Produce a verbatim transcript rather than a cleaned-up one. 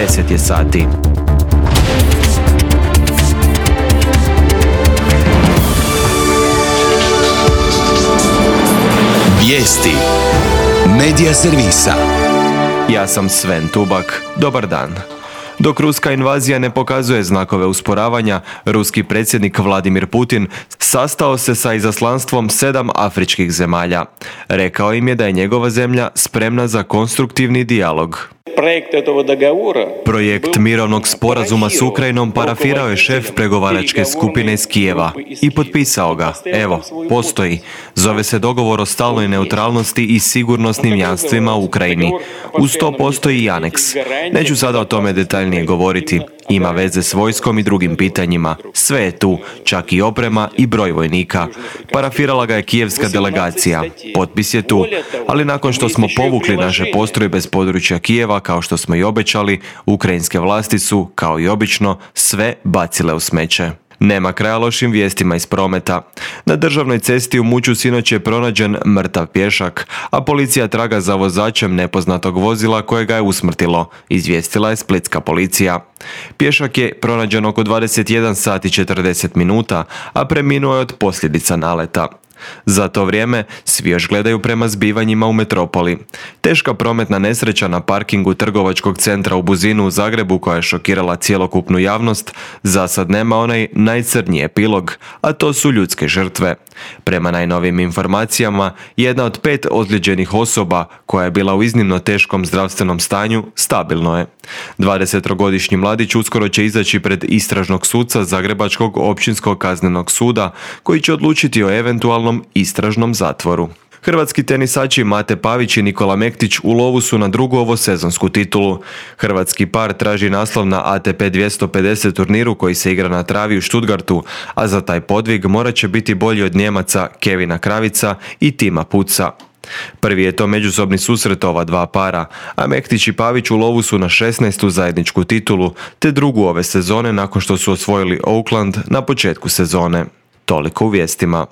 deset je sati. Vijesti Medija servisa. Ja sam Sven Tubak. Dobar dan. Dok ruska invazija ne pokazuje znakove usporavanja, ruski predsjednik Vladimir Putin sastao se sa izaslanstvom sedam afričkih zemalja. Rekao im je da je njegova zemlja spremna za konstruktivni dijalog. Projekt mirovnog sporazuma s Ukrajinom parafirao je šef pregovaračke skupine iz Kijeva i potpisao ga. Evo, postoji. Zove se dogovor o stalnoj neutralnosti i sigurnosnim jamstvima u Ukrajini. Uz to postoji i aneks. Neću sada o tome detaljnije govoriti. Ima veze s vojskom i drugim pitanjima. Sve je tu, čak i oprema i broj vojnika. Parafirala ga je kijevska delegacija. Potpis je tu. Ali nakon što smo povukli naše postrojbe s područja Kijeva, kao što smo i obećali, ukrajinske vlasti su, kao i obično, sve bacile u smeće. Nema kraja lošim vijestima iz prometa. Na državnoj cesti u Muću sinoć je pronađen mrtav pješak, a policija traga za vozačem nepoznatog vozila koje ga je usmrtilo, izvijestila je splitska policija. Pješak je pronađen oko dvadeset jedan sat i četrdeset minuta, a preminuo je od posljedica naleta. Za to vrijeme svi još gledaju prema zbivanjima u metropoli. Teška prometna nesreća na parkingu trgovačkog centra u Buzinu u Zagrebu, koja je šokirala cjelokupnu javnost, za sad nema onaj najcrnji epilog, a to su ljudske žrtve. Prema najnovijim informacijama, jedna od pet ozlijeđenih osoba, koja je bila u iznimno teškom zdravstvenom stanju, stabilno je. dvadesetogodišnji mladić uskoro će izaći pred istražnog suca Zagrebačkog općinskog kaznenog suda, koji će odlučiti o eventualnom istražnom zatvoru. Hrvatski tenisači Mate Pavić i Nikola Mektić u lovu su na drugu ovosezonsku titulu. Hrvatski par traži naslov na A T P dvjesto pedeset turniru koji se igra na travi u Stuttgartu, a za taj podvig morat će biti bolji od Nijemaca Kevina Kravica i Tima Puca. Prvi je to međusobni susret ova dva para, a Mektić i Pavić u lovu su na šesnaestu zajedničku titulu, te drugu ove sezone nakon što su osvojili Oakland na početku sezone. Toliko u vijestima.